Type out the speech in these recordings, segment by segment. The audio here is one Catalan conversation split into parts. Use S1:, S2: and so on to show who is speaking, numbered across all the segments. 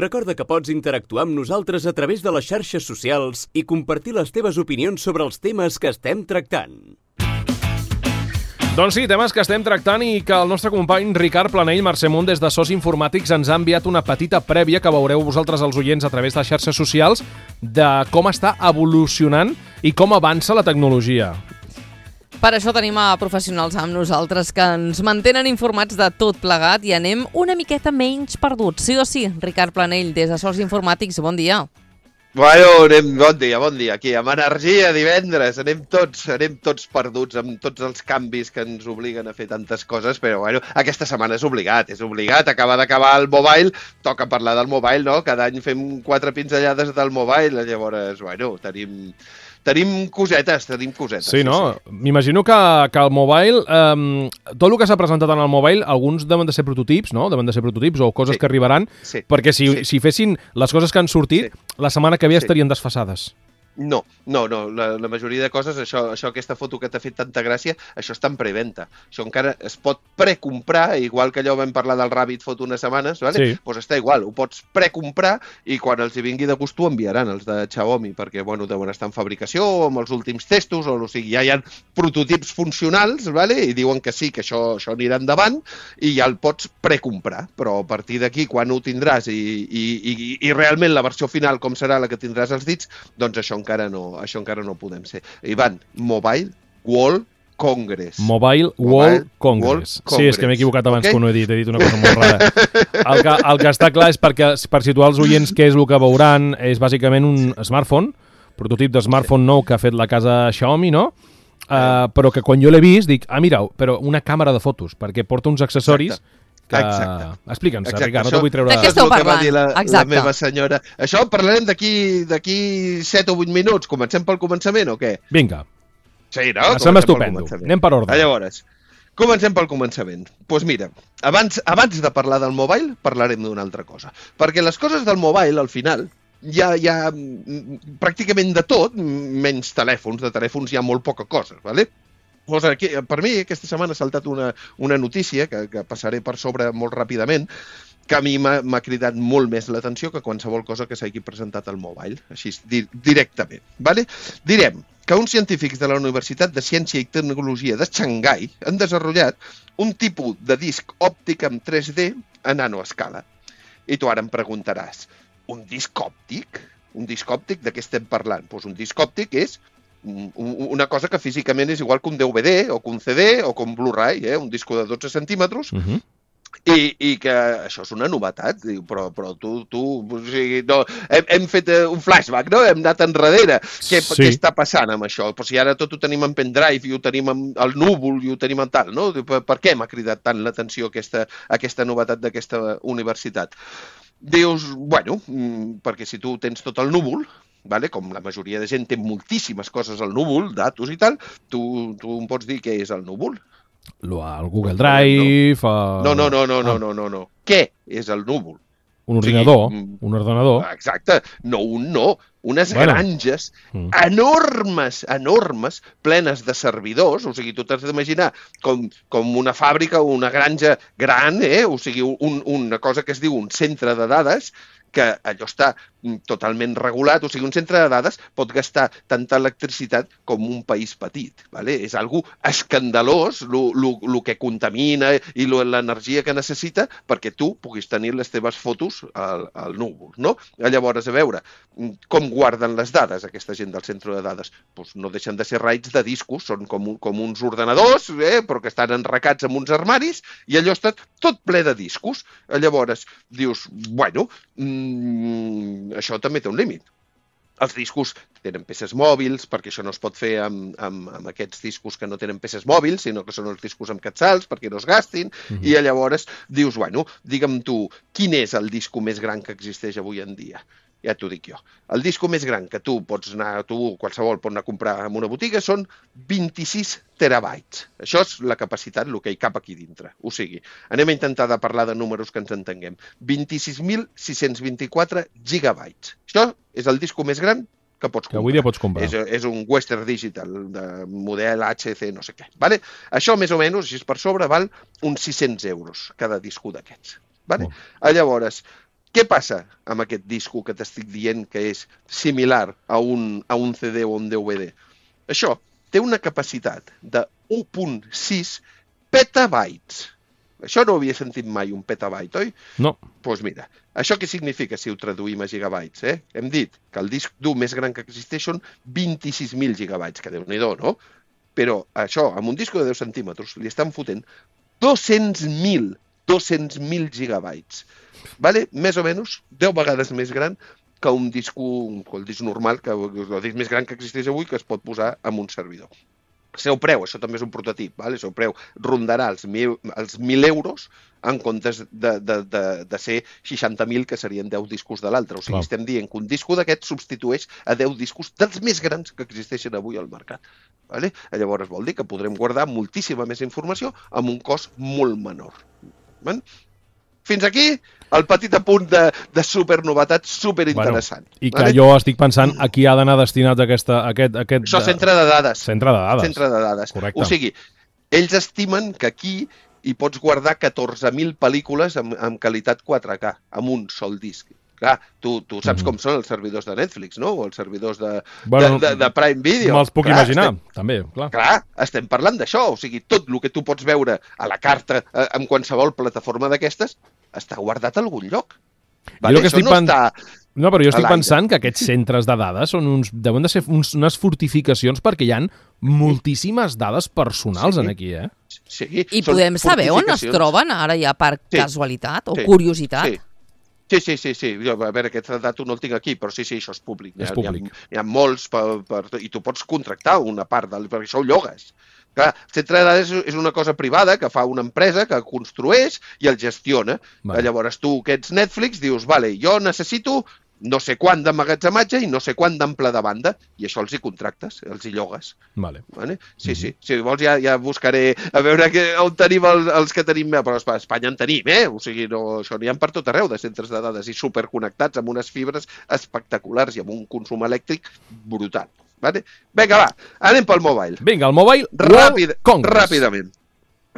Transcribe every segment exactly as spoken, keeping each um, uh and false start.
S1: Recorda que pots interactuar amb nosaltres a través de les xarxes socials i compartir les teves opinions sobre els temes que estem tractant.
S2: Doncs sí, temes que estem tractant i que el nostre company Ricard Planell Marcemunt des de Sos Informàtics ens ha enviat una petita prèvia que veureu vosaltres els oients a través de xarxes socials de com està evolucionant i com avança la tecnologia.
S3: Per això tenim a professionals amb nosaltres que ens mantenen informats de tot plegat i anem una miqueta menys perduts. Sí o sí, Ricard Planell, des de Sos Informàtics, bon dia.
S4: Bueno, anem, bon dia, bon dia. Aquí, amb energia, divendres, anem tots, anem tots perduts amb tots els canvis que ens obliguen a fer tantes coses, però bueno, aquesta setmana és obligat, és obligat. Acaba d'acabar el mobile, toca parlar del mobile, no? Cada any fem quatre pinzellades del mobile, llavors, bueno, tenim... Tenim cosetes, tenim cosetes.
S2: Sí, no? Sí, sí. M'imagino que, que el mobile, eh, tot el que s'ha presentat en el mobile, alguns deuen de ser prototips, no? Deuen de ser prototips o coses sí. que arribaran, sí. perquè si, sí. si fessin les coses que han sortit, sí. la setmana que ve sí. estarien desfasades.
S4: No, no, no. La, la majoria de coses, això, això, aquesta foto que t'ha fet tanta gràcia, això està en preventa. Això encara es pot precomprar, igual que allò vam parlar del Rabbit Foto unes setmanes, ¿vale? Sí. Pues està igual, ho pots precomprar i quan els hi vingui de gust ho enviaran, els de Xiaomi, perquè bueno, deuen estar en fabricació o amb els últims testos, o, o sigui, ja hi ha prototips funcionals, ¿vale? I diuen que sí, que això, això anirà endavant i ja el pots precomprar, però a partir d'aquí, quan ho tindràs i, i, i, i realment la versió final com serà la que tindràs als dits, doncs això encara no, això encara no podem ser. Ivan, Mobile World Congress.
S2: Mobile, Mobile World, Congress. World Congress. Sí, és que m'he equivocat abans okay? que no he dit, he dit una cosa molt rara. El que, el que està clar és perquè, per situar els oients què és el que veuran, és bàsicament un smartphone, prototip de smartphone nou que ha fet la casa Xiaomi, no? Uh, però que quan jo l'he vist dic, ah, mira, però una càmera de fotos, perquè porta uns accessoris Exacte. Que... Explica'ns, Ricard, no t'ho vull treure...
S3: De què esteu parlant?
S4: La, la meva senyora. Això parlarem d'aquí set o vuit minuts. Comencem pel començament o què?
S2: Vinga.
S4: Sí, no?
S2: Sembla estupendo. Anem per ordre.
S4: Llavors, comencem pel començament. Doncs pues mira, abans, abans de parlar del mobile, parlarem d'una altra cosa. Perquè les coses del mobile, al final, hi ha, hi ha pràcticament de tot, menys telèfons. De telèfons hi ha molt poca cosa, ¿vale? Pues aquí, per mi, aquesta setmana ha saltat una, una notícia que, que passaré per sobre molt ràpidament, que a mi m'ha cridat molt més l'atenció que qualsevol cosa que s'hagi presentat al mobile, així di directament. ¿Vale? Direm que uns científics de la Universitat de Ciència i Tecnologia de Xangai han desenvolupat un tipus de disc òptic en tres D a nanoescala. I tu ara em preguntaràs, un disc òptic? Un disc òptic de què estem parlant? Pues un disc òptic és una cosa que físicament és igual que un D V D o que un C D o que un Blu-ray, eh? Un disco de dotze centímetres, uh-huh. i, i que això és una novetat, però, però tu, tu o sigui, no, hem, hem fet un flashback, no? Hem anat enrere. Què, sí. Què està passant amb això? Però si ara tot ho tenim en pendrive i ho tenim al núvol i ho tenim en tal, no? Per, per què m'ha cridat tant l'atenció aquesta, aquesta novetat d'aquesta universitat? Dius, bueno, perquè si tu tens tot el núvol, vale? Com la majoria de gent té moltíssimes coses al núvol, datos i tal, tu, tu em pots dir què és el núvol?
S2: El Google Drive...
S4: No, no, no, no, no, no, no, no. Què és el núvol?
S2: Un ordinador, sí, un ordenador.
S4: Exacte, no un no, unes bueno. granges mm. enormes, enormes, plenes de servidors, o sigui, tu t'has d'imaginar com, com una fàbrica o una granja gran, eh? O sigui, un, una cosa que es diu un centre de dades, que allò està totalment regulat, o sigui, un centre de dades pot gastar tanta electricitat com un país petit, ¿vale? És algo escandalós el que contamina i l'energia que necessita perquè tu puguis tenir les teves fotos al, al núvol, no? Llavors, a veure, com guarden les dades aquesta gent del centre de dades? Pues no deixen de ser raids de discos, són com, un, com uns ordenadors, eh? Però que estan enracats en uns armaris i allò està tot ple de discos. Llavors, dius, bueno, mmm, això també té un límit. Els discos tenen peces mòbils, perquè això no es pot fer amb, amb, amb aquests discos que no tenen peces mòbils, sinó que són els discos amb catsals perquè no es gastin, mm-hmm. i llavors dius, bueno, digue'm tu, quin és el disco més gran que existeix avui en dia? Ja t'ho dic jo. El disco més gran que tu pots anar, tu qualsevol pot anar a comprar en una botiga són vint-i-sis terabytes. Això és la capacitat, el que hi cap aquí dintre. O sigui, anem a intentar de parlar de números que ens entenguem. vint-i-sis mil sis-cents vint-i-quatre gigabytes. Això és el disco més gran que pots comprar.
S2: Que avui dia pots comprar.
S4: És, és un Western Digital de model H C no sé què. Vale? Això més o menys, si és per sobre, val uns sis-cents euros cada disco d'aquests. Vale? Oh. Llavors, Què passa amb aquest disco que t'estic dient que és similar a un, a un C D o un D V D? Això té una capacitat de u coma sis petabytes. Això no ho havia sentit mai, un petabyte, oi?
S2: No.
S4: Doncs pues mira, això què significa si ho traduïm a gigabytes? Eh? Hem dit que el disc dur més gran que existeix són vint-i-sis mil gigabytes, que Déu-n'hi-do, no? Però això, amb un disc de deu centímetres, li estan fotent dos-cents mil, dos-cents mil gigabytes. Vale? Més o menys deu vegades més gran que un disc, el disc normal, que el disc més gran que existeix avui, que es pot posar en un servidor. El seu preu, això també és un prototip, vale? El seu preu rondarà els mil, els mil euros en comptes de, de, de, de ser seixanta mil, que serien deu discos de l'altre. O sigui, Clar. estem dient que un disco d'aquest substitueix a deu discos dels més grans que existeixen avui al mercat. Vale? Llavors vol dir que podrem guardar moltíssima més informació amb un cost molt menor. Vale? Fins aquí el petit apunt de, de supernovetat superinteressant.
S2: Bueno, I que vale? jo estic pensant a qui ha d'anar destinat aquesta, aquest... aquest
S4: Això, centre de dades.
S2: Centre de dades.
S4: Centre de dades.
S2: Correcte.
S4: O sigui, ells estimen que aquí hi pots guardar catorze mil pel·lícules amb, amb qualitat quatre K, amb un sol disc. Clar, tu, tu saps mm-hmm. com són els servidors de Netflix, no? O els servidors de, bueno, de, de, de Prime Video.
S2: Me'ls puc clar, imaginar, estem, també, clar.
S4: Clar, estem parlant d'això. O sigui, tot el que tu pots veure a la carta eh, en qualsevol plataforma d'aquestes està guardat a algun lloc. Vale?
S2: Això no pen... està... No, però jo estic pensant que aquests
S4: sí.
S2: centres de dades són uns, deuen de ser uns, unes fortificacions perquè hi ha moltíssimes dades personals
S4: sí.
S2: en aquí, eh?
S4: Sí.
S3: I podem saber on es troben ara ja per sí. casualitat o sí. curiositat?
S4: Sí. Sí, sí, sí, sí. Jo, a veure, aquest dato no el tinc aquí, però sí, sí, això és públic.
S2: És públic.
S4: Hi ha, hi ha molts, per, per, i tu pots contractar una part, del, perquè això ho llogues. Clar, el centre de dades és una cosa privada que fa una empresa que construeix i el gestiona. Vale. Llavors tu, que ets Netflix, dius, vale, jo necessito no sé quant d'emmagatzematge i no sé quant d'ample de banda, i això els hi contractes, els hi llogues.
S2: Vale.
S4: Vale? Sí, sí. Si vols ja, ja buscaré a veure que, on tenim els, els que tenim, però a Espanya en tenim, eh? O sigui, no, això n'hi ha per tot arreu de centres de dades i superconnectats amb unes fibres espectaculars i amb un consum elèctric brutal. Vale? Vinga, va, anem pel mobile.
S2: Vinga, el Mobile
S4: Ràpid,
S2: World Congress.
S4: Ràpidament.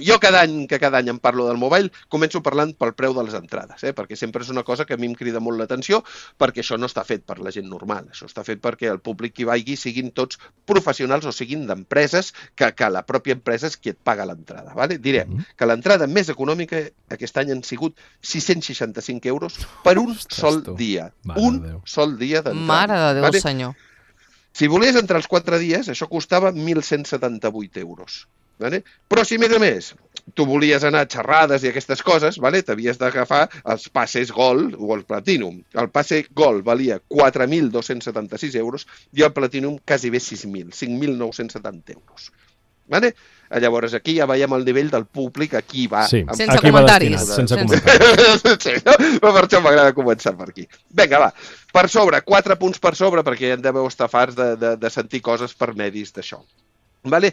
S4: Jo cada any que cada any em parlo del mobile començo parlant pel preu de les entrades, eh? Perquè sempre és una cosa que a mi em crida molt l'atenció, perquè això no està fet per la gent normal, això està fet perquè el públic que hi vagi siguin tots professionals o siguin d'empreses, que, que la pròpia empresa és qui et paga l'entrada. Vale? Direm mm -hmm. que l'entrada més econòmica aquest any han sigut sis-cents seixanta-cinc euros per un Ostres, sol tu. dia. Mare un sol dia d'entrada.
S3: Mare de Déu, vale? Senyor.
S4: Si volies entrar els quatre dies, això costava mil cent setanta-vuit euros. Vale? Però si, a més a més, tu volies anar a xerrades i aquestes coses, vale? T'havies d'agafar els passes Gold o el Platinum. El passe Gold valia quatre mil dos-cents setanta-sis euros i el Platinum quasi bé sis mil, cinc mil nou-cents setanta euros. Vale? Llavors aquí ja veiem el nivell del públic, aquí va...
S2: Sí,
S3: sense
S2: aquí
S3: comentaris.
S2: Va sense comentaris.
S4: Sí, no? Per això m'agrada començar per aquí. Vinga, va. Per sobre, quatre punts per sobre, perquè ja en deveu estar farts de, de, de sentir coses per medis d'això. Vale?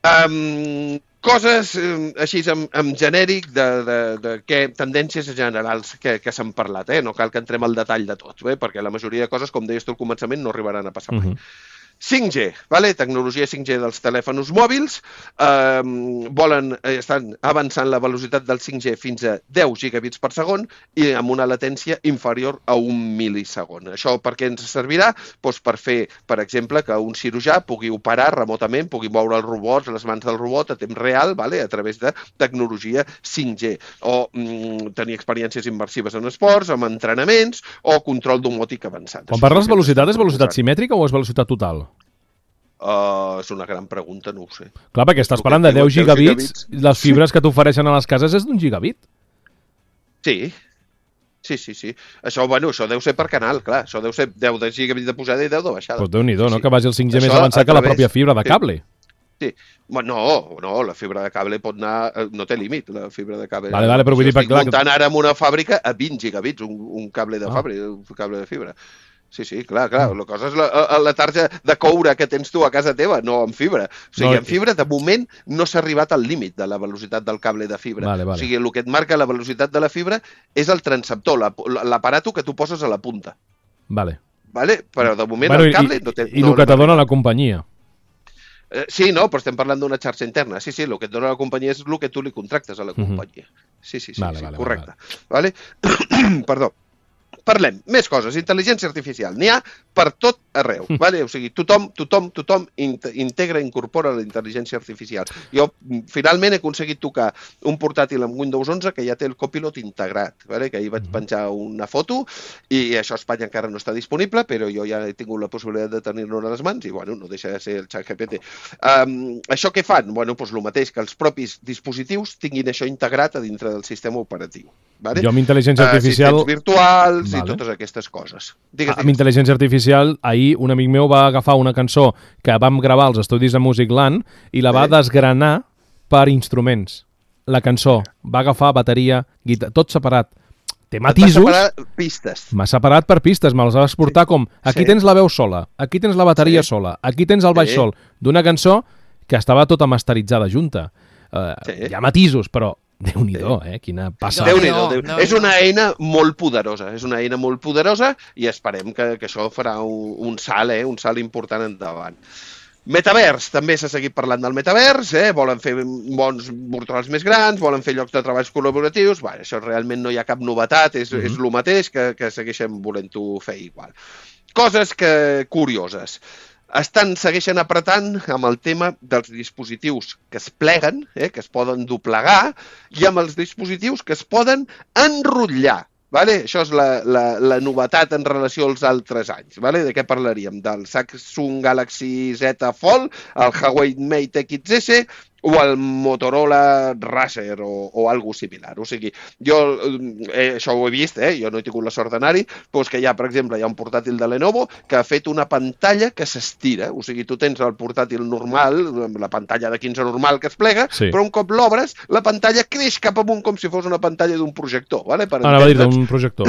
S4: Um, coses um, així en, en genèric de, de, de què, tendències generals que, que s'han parlat, eh? No cal que entrem al detall de tot, eh? Perquè la majoria de coses, com deies tu al començament, no arribaran a passar mai. Uh-huh. cinc G, vale? Tecnologia cinc G dels telèfons mòbils, eh, volen, estan avançant la velocitat del cinc G fins a deu gigabits per segon i amb una latència inferior a un milisegon. Això per què ens servirà? Doncs per fer, per exemple, que un cirurgià pugui operar remotament, pugui moure els robots, les mans del robot a temps real, vale? A través de tecnologia cinc G, o mm, tenir experiències immersives en esports, amb entrenaments, o control domòtic avançat.
S2: Quan parles de velocitat, és velocitat simètrica o és velocitat total?
S4: Uh, és una gran pregunta, no ho sé.
S2: Clar, perquè estàs parlant de deu gigabits, les fibres que t'ofereixen a les cases és d'un gigabit.
S4: Sí, sí, sí, sí. Això, bueno, això deu ser per canal, clar. Això deu ser deu de gigabits de pujada i deu de baixada.
S2: Pues Déu-n'hi-do, no?
S4: Sí.
S2: Que vagi el cinc G això més avançat que la pròpia fibra de cable.
S4: Sí. sí. No, no, la fibra de cable pot anar... No té límit, la fibra de cable.
S2: Vale, vale, però vull dir...
S4: Estic muntant ara en una fàbrica a vint gigabits, un, un cable de ah. fàbrica, un cable de fibra. Sí, sí, clar, clar. La cosa és la, la tarja de coure que tens tu a casa teva, no amb fibra. O sigui, no, en fibra, de moment, no s'ha arribat al límit de la velocitat del cable de fibra.
S2: Vale, vale.
S4: O sigui, el que et marca la velocitat de la fibra és el transceptor, l'aparato que tu poses a la punta.
S2: Vale.
S4: Vale? Però de moment
S2: bueno,
S4: el cable...
S2: I,
S4: no té,
S2: i
S4: no,
S2: el que te dona la companyia.
S4: Eh, sí, no, però estem parlant d'una xarxa interna. Sí, sí, el que et dona la companyia és el que tu li contractes a la companyia. Sí, sí, sí,
S2: vale,
S4: sí
S2: vale,
S4: correcte.
S2: Vale.
S4: Vale? Perdó. parlem, més coses, intel·ligència artificial, n'hi ha per tot arreu, vale? O sigui, tothom, tothom, tothom integra, incorpora la intel·ligència artificial. Jo, finalment, he aconseguit tocar un portàtil amb Windows onze que ja té el Copilot integrat, vale? Que ahir vaig penjar una foto i això a Espanya encara no està disponible, però jo ja he tingut la possibilitat de tenir-lo a les mans i, bueno, no deixa de ser el ChatGPT. Um, això què fan? Bueno, doncs el mateix, que els propis dispositius tinguin això integrat a dintre del sistema operatiu. Vale?
S2: Jo amb intel·ligència artificial...
S4: Assistents virtuals vale. I totes aquestes coses. Digues,
S2: amb intel·ligència artificial, ahir un amic meu va agafar una cançó que vam gravar als estudis de Musicland i la va sí. desgranar per instruments. La cançó va agafar bateria, guitarra, tot separat. Té matisos.
S4: M'ha separat pistes.
S2: M'ha separat per pistes, me'ls va exportar sí. com aquí sí. tens la veu sola, aquí tens la bateria sí. sola, aquí tens el baix sí. sol, d'una cançó que estava tota masteritzada junta. Uh, sí. Hi ha matisos, però Déu-n'hi-do, eh? Quina passa.
S4: Déu-n'hi-do. Déu no, és una eina molt poderosa, és una eina molt poderosa i esperem que, que això farà un, un salt, eh? Un salt important endavant. Metavers, també s'ha seguit parlant del metavers, eh? Volen fer mons virtuals més grans, volen fer llocs de treballs col·laboratius, bé, això realment no hi ha cap novetat, és, mm-hmm. és el mateix que, que segueixen volent-ho fer igual. Coses que curioses. Estan, segueixen apretant amb el tema dels dispositius que es pleguen, eh, que es poden doblegar, i amb els dispositius que es poden enrotllar. Vale? Això és la, la, la novetat en relació als altres anys. Vale? De què parlaríem? Del Samsung Galaxy Z Fold, el Huawei Mate X S o el Motorola Razr o, o algo similar. O sigui, jo eh, això ho he vist, eh? Jo no he tingut la sort d'anar-hi, però és que hi ha, per exemple, hi ha un portàtil de Lenovo que ha fet una pantalla que s'estira. O sigui, tu tens el portàtil normal, la pantalla de quinze normal que es plega, sí. però un cop l'obres, la pantalla creix cap amunt com si fos una pantalla d'un projector. Vale? Per
S2: Anava a dir d'un projector.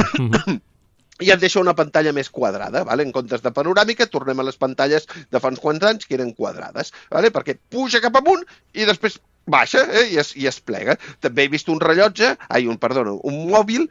S4: I et deixa una pantalla més quadrada, vale? En comptes de panoràmica, tornem a les pantalles de fa uns quants anys que eren quadrades, vale? Perquè puja cap amunt i després baixa eh? I, es, i es plega. També he vist un rellotge, ai, un, perdona, un mòbil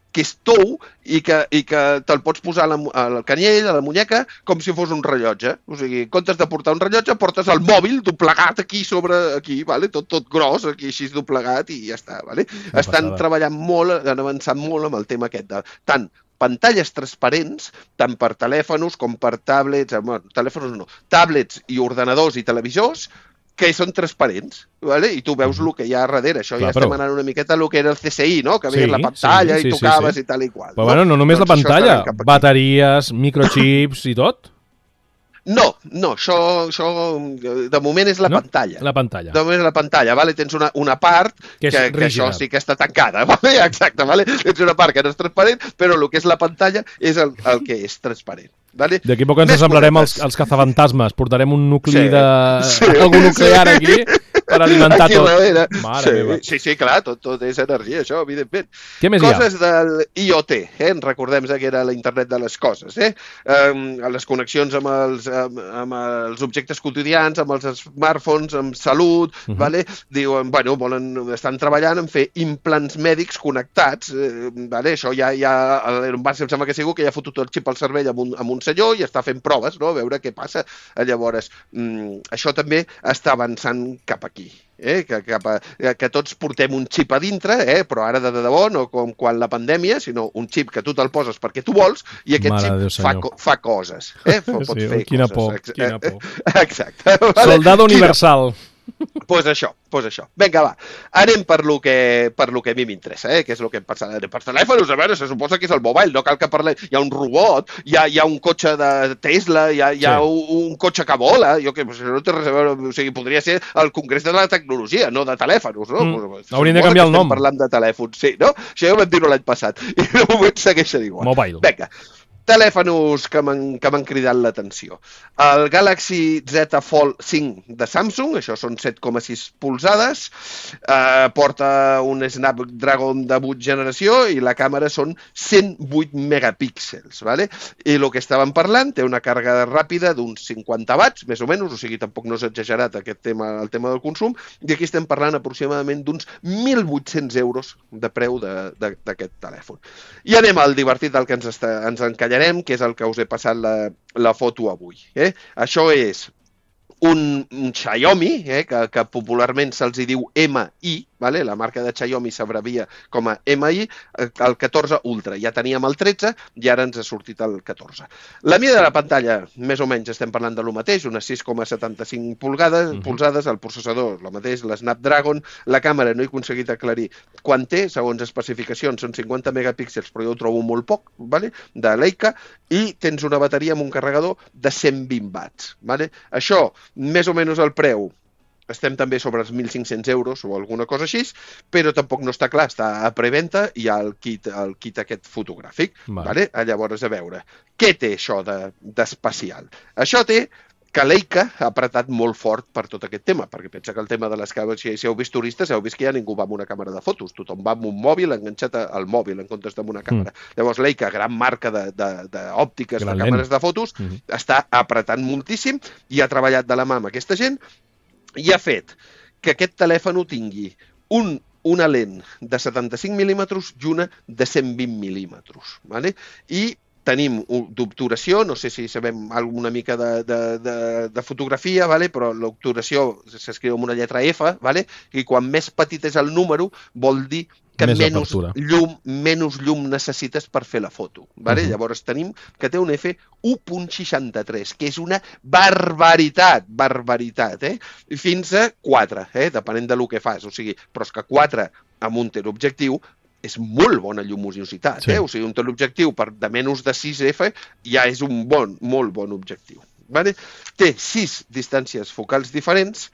S4: que és tou i que, i que te'l pots posar al canyell, a la muñeca, com si fos un rellotge. O sigui, en comptes de portar un rellotge, portes el mòbil doblegat aquí sobre aquí, vale? tot, tot gros, aquí així doblegat i ja està. Vale? Estan treballant molt, han avançat molt amb el tema aquest de tant pantalles transparents, tant per telèfons com per tablets, bueno, telèfons no, tablets i ordenadors i televisors, que són transparents, ¿vale? I tu veus el que hi ha darrere. Això Clar, ja però... estem anant una miqueta a el que era el C S I, no? Que veies sí, la pantalla sí, sí, i tocaves sí, sí. i tal i qual.
S2: Però no? bueno, no només doncs la pantalla, bateries, microchips i tot.
S4: No, no, això, això de moment és la
S2: no?
S4: pantalla.
S2: La pantalla.
S4: De moment és la pantalla, vale? Tens una, una part que, que, que això sí que està tancada, vale? Exacte, vale? Tens una part que no és transparent, però el que és la pantalla és el, el que és transparent. Vale?
S2: D'aquí poc ens semblarem els, els cazafantasmes, portarem un nucli sí. de... Sí. algun nuclear aquí per alimentar aquí tot.
S4: Mare sí. meva. Sí, sí, clar, tot, tot és energia, això, evidentment.
S2: Què més
S4: coses
S2: hi ha?
S4: del I O T, eh? Recordem que era la internet de les coses, eh? Um, les connexions amb els, amb, amb els objectes quotidians, amb els smartphones, amb salut, uh -huh. vale? Diuen, bueno, volen, estan treballant en fer implants mèdics connectats, eh, vale? Això ja, ja el Barça em sembla que sigut que ja ha fotut el xip al cervell amb un, amb un senyor i està fent proves, no? A veure què passa. Llavors, mm, això també està avançant cap aquí. Eh? Que, cap a, que tots portem un xip a dintre, eh? Però ara de debò, no com quan la pandèmia, sinó un xip que tu te'l poses perquè tu vols i aquest Mare xip Déu, fa, fa coses. Eh? Pot
S2: sí,
S4: fer
S2: quina
S4: coses.
S2: por, quina por.
S4: Exacte.
S2: Vale? Soldado universal.
S4: Doncs pues això, pues això. Vinga, va. Anem per lo que, per lo que a mi m'interessa, eh? Que és el que em passa. Per telèfons, a veure, se suposa que és el mobile, no cal que parlem. Hi ha un robot, hi ha, hi ha un cotxe de Tesla, hi ha, hi ha sí. un, un cotxe que vola, jo que no té res a veure, o sigui, podria ser el Congrés de la Tecnologia, no de telèfons, no?
S2: Mm. Pues, hauríem de canviar el nom.
S4: Parlant de telèfons, sí, no? Això ja ho vam dir l'any passat, i de moment segueixen igual.
S2: Mobile.
S4: Vinga. Telèfons que m'han cridat l'atenció. El Galaxy Z Fold cinc de Samsung, això són set coma sis polzades, eh, porta un Snapdragon de vuit generació i la càmera són cent vuit megapíxels, ¿vale? I el que estàvem parlant té una càrrega ràpida d'uns cinquanta watts, més o menys, o sigui, tampoc no és exagerat aquest tema, el tema del consum, i aquí estem parlant aproximadament d'uns mil vuit-cents euros de preu d'aquest telèfon. I anem al divertit del que ens, ens encallarem, que és el que us he passat la, la foto avui. Eh? Això és un, un Xiaomi, eh, que, que popularment se'ls diu M I, vale? La marca de Xiaomi s'abrevia com a M I, el catorze Ultra. Ja teníem el tretze i ara ens ha sortit el catorze. La mida de la pantalla, més o menys, estem parlant de lo mateix, unes sis coma setanta-cinc polzades, uh-huh. polzades, el processador, el mateix, l'Snapdragon, la càmera no he aconseguit aclarir quan té, segons especificacions, són cinquanta megapíxels, però jo ho trobo molt poc, vale? De Leica, i tens una bateria amb un carregador de cent vint watts. Vale? Això, més o menys el preu, estem també sobre els mil cinc-cents euros o alguna cosa així, però tampoc no està clar, està a preventa i hi ha el kit, el kit aquest fotogràfic. Vale. Vale? Llavors, a veure, què té això d'especial? De, això té que Leica ha apretat molt fort per tot aquest tema, perquè pensa que el tema de les càmeres, si heu vist turistes, heu vist que ja ningú va amb una càmera de fotos, tothom va amb un mòbil enganxat al mòbil en comptes d'amb una càmera. Mm. Llavors Leica, gran marca d'òptiques, de, de, de càmeres de fotos, mm. està apretant moltíssim i ha treballat de la mà amb aquesta gent i ha fet que aquest telèfon tingui un una lent de setanta-cinc mil·límetres i una de cent vint mil·límetres. Vale? I tenim d'obturació, no sé si sabem alguna mica de, de, de, de fotografia, vale? Però l'obturació s'escriu amb una lletra F, vale? I quan més petit és el número vol dir que menys llum, menys llum necessites per fer la foto. Vale? Uh-huh. Llavors tenim que té un F u coma seixanta-tres, que és una barbaritat, barbaritat, eh? Fins a quatre, eh? Depenent de lo que fas. O sigui, però és que quatre amb un teleobjectiu és molt bona lluminositat. Sí. Eh? O sigui, un teleobjectiu per de menys de sis F ja és un bon, molt bon objectiu. Vale? Té sis distàncies focals diferents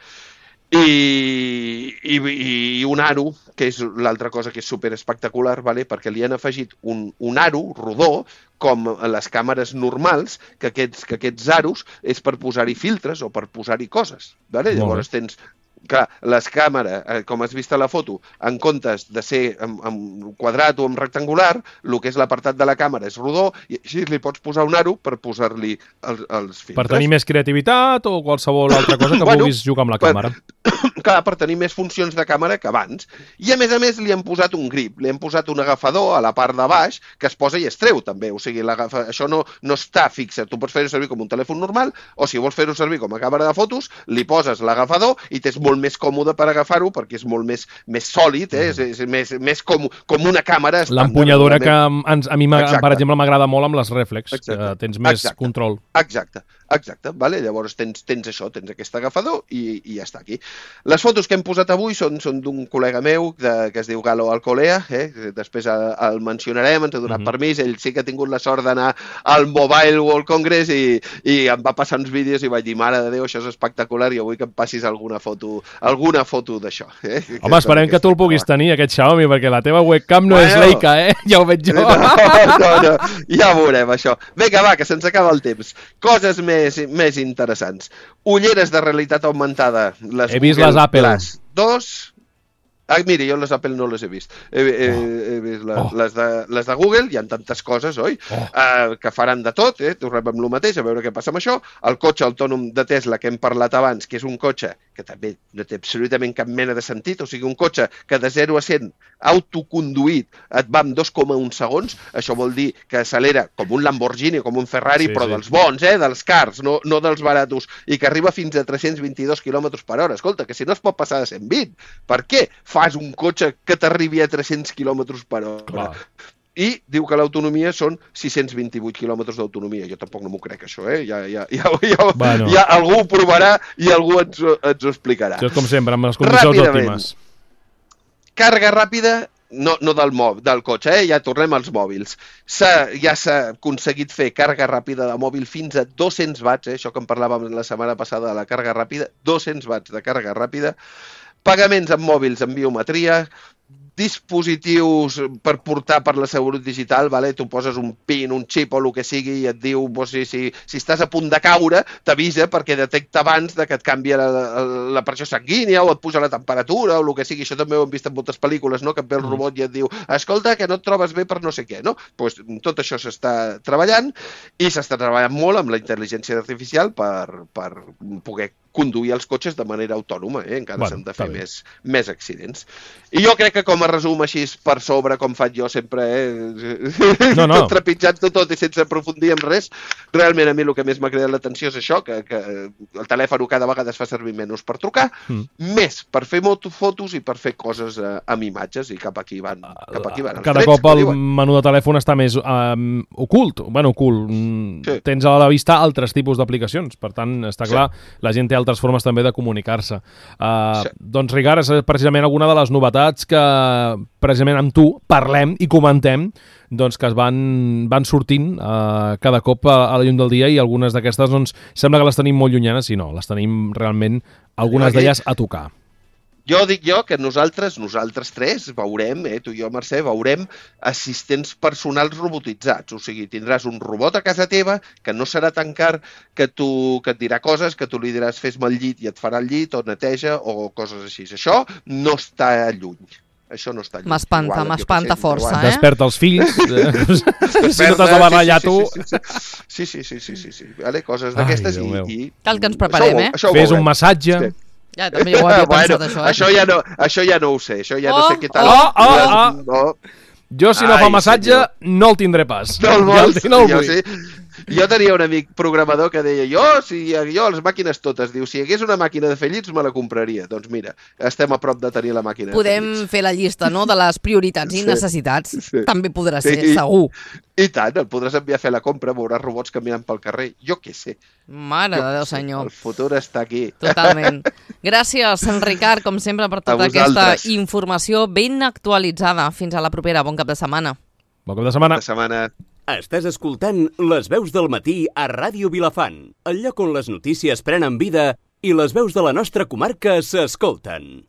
S4: i, i, i un aro, que és l'altra cosa que és super espectacular, vale? Perquè li han afegit un, un aro rodó, com a les càmeres normals, que aquests, que aquests aros és per posar-hi filtres o per posar-hi coses. Vale? Llavors tens... Clar, les càmeres, eh, com has vist a la foto, en comptes de ser en, en quadrat o en rectangular, el que és l'apartat de la càmera és rodó i així li pots posar un aro per posar-li els, els filtres.
S2: Per tenir més creativitat o qualsevol altra cosa que bueno, vulguis jugar amb la càmera.
S4: Per, clar, per tenir més funcions de càmera que abans. I a més a més li han posat un grip, li han posat un agafador a la part de baix que es posa i es treu també. O sigui, això no, no està fixa. Tu pots fer-ho servir com un telèfon normal o si vols fer-ho servir com a càmera de fotos, li poses l'agafador i tens molt més còmode per agafar-ho perquè és molt més, més sòlid, eh? és, és més, més com, com una càmera.
S2: L'empunyadora que ens, a mi, per exemple, m'agrada molt amb les reflex, Exacte. que tens més
S4: Exacte.
S2: control.
S4: Exacte. Exacte, vale? Llavors tens, tens això, tens aquest agafador i, i ja està aquí. Les fotos que hem posat avui són, són d'un col·lega meu de, que es diu Galo Alcolea, eh? Després el, el mencionarem, ens ha donat mm-hmm. permís, ell sí que ha tingut la sort d'anar al Mobile World Congress i, i em va passar uns vídeos i vaig dir, mare de Déu, això és espectacular i vull que em passis alguna foto alguna foto d'això. Eh?
S2: Home, esperem que tu el puguis tenir, aquest Xiaomi, perquè la teva webcam no bueno, és Leica, eh? Ja ho veig jo.
S4: No, no, no, ja veurem això. Vinga, va, que se'ns acaba el temps. Coses més Més, més interessants. Ulleres de realitat augmentada. Les
S2: he vist Google les Apple.
S4: Les dos... Ah, mira, jo les Apple no les he vist. He, he, he vist les, oh. les, de, les de Google, hi ha tantes coses, oi? Oh. Uh, que faran de tot, eh? Tornem amb el mateix, a veure què passa amb això. El cotxe autònom de Tesla, que hem parlat abans, que és un cotxe que també no té absolutament cap mena de sentit, o sigui, un cotxe que de zero a cent autoconduït et va en dos coma un segons, això vol dir que accelera com un Lamborghini, com un Ferrari, sí, però sí. dels bons, eh? Dels cars, no, no dels baratos, i que arriba fins a tres-cents vint-i-dos quilòmetres per hora. Escolta, que si no es pot passar de cent vint, per què fas un cotxe que t'arribi a tres-cents quilòmetres per hora? Clar. I diu que l'autonomia són sis-cents vint-i-vuit quilòmetres d'autonomia. Jo tampoc no m'ho crec, això, eh? Ja, ja, ja, ja, bueno. ja algú ho provarà i algú ens, ens ho explicarà.
S2: Això és com sempre, amb les condicions òptimes.
S4: Càrrega ràpida, no, no del, mòbil, del cotxe, eh? Ja tornem als mòbils. Ja s'ha aconseguit fer càrrega ràpida de mòbil fins a dos-cents watts, eh? Això que en parlàvem la setmana passada de la càrrega ràpida, dos-cents watts de càrrega ràpida. Pagaments amb mòbils amb biometria, dispositius per portar per la seguretat digital, vale? Tu poses un pin, un xip o el que sigui i et diu pues, si, si, si estàs a punt de caure, t'avisa perquè detecta abans de que et canvia la, la, la pressió sanguínia o et puja la temperatura o el que sigui. Això també ho hem vist en moltes pel·lícules, no? Que et ve el robot i et diu escolta, que no et trobes bé per no sé què, no? Pues, tot això s'està treballant i s'està treballant molt amb la intel·ligència artificial per, per poder conduir els cotxes de manera autònoma, eh? Encara
S2: bueno,
S4: s'han de fer més, més accidents. I jo crec que com a resum així per sobre, com faig jo sempre, eh? no, no. trepitjant-ho tot i sense aprofundir en res, realment a mi el que més m'ha cridat l'atenció és això, que, que el telèfon cada vegada es fa servir menys per trucar, mm. més per fer fotos i per fer coses eh, amb imatges, i cap aquí van, cap aquí van els
S2: Cada
S4: trets,
S2: cop el menú de telèfon està més um, ocult, bueno, ocult. Sí. Tens a la vista altres tipus d'aplicacions, per tant, està clar, sí. la gent té altres formes també de comunicar-se. Uh, sí. Doncs, Ricard, és precisament alguna de les novetats que precisament amb tu parlem i comentem, doncs, que es van, van sortint uh, cada cop a, a la llum del dia, i algunes d'aquestes doncs, sembla que les tenim molt llunyanes, i no, les tenim realment, algunes d'elles a tocar.
S4: Jo dic jo que nosaltres, nosaltres tres, veurem, eh, tu i jo, Mercè, veurem assistents personals robotitzats. O sigui, tindràs un robot a casa teva que no serà tan car, que, tu, que et dirà coses, que tu li diràs fes-me el llit i et farà el llit, o neteja, o coses així. Això no està lluny. Això no està lluny.
S3: M'espanta, m'espanta força, eh?
S2: Desperta els fills. Si no t'has de barallar tu.
S4: Sí, sí, sí, sí, sí, sí. Vale, coses d'aquestes i, i...
S3: Cal que ens preparem, eh?
S2: Fes un massatge.
S3: Sí. Ja, també ho havia pensat,
S4: bueno,
S3: això, eh?
S4: Això ja, no, això ja no ho sé, això ja
S3: oh,
S4: no sé què tal.
S2: Oh, oh, oh. No. Jo, si no Ai, fa massatge, senyor. no el tindré pas.
S4: No el vols? Ja no el vull. Sí. Jo tenia un amic programador que deia, jo, si jo, les màquines totes, diu, si hi hagués una màquina de fer llits, me la compraria. Doncs mira, estem a prop de tenir la màquina
S3: Podem
S4: de fer llits.
S3: fer la llista, no?, de les prioritats i
S4: sí,
S3: necessitats.
S4: Sí.
S3: També podrà ser,
S4: I,
S3: segur.
S4: I tant, el podràs enviar a fer la compra, veuràs robots caminant pel carrer. Jo què sé.
S3: Mare de Déu, senyor.
S4: El futur està aquí.
S3: Totalment. Gràcies, Ricard, com sempre, per tota aquesta informació ben actualitzada. Fins a la propera. Bon cap de setmana.
S2: Bon cap de setmana.
S4: Bon cap de setmana.
S1: Estàs escoltant Les Veus del Matí a Ràdio Vilafant, el lloc on les notícies prenen vida i les veus de la nostra comarca s'escolten.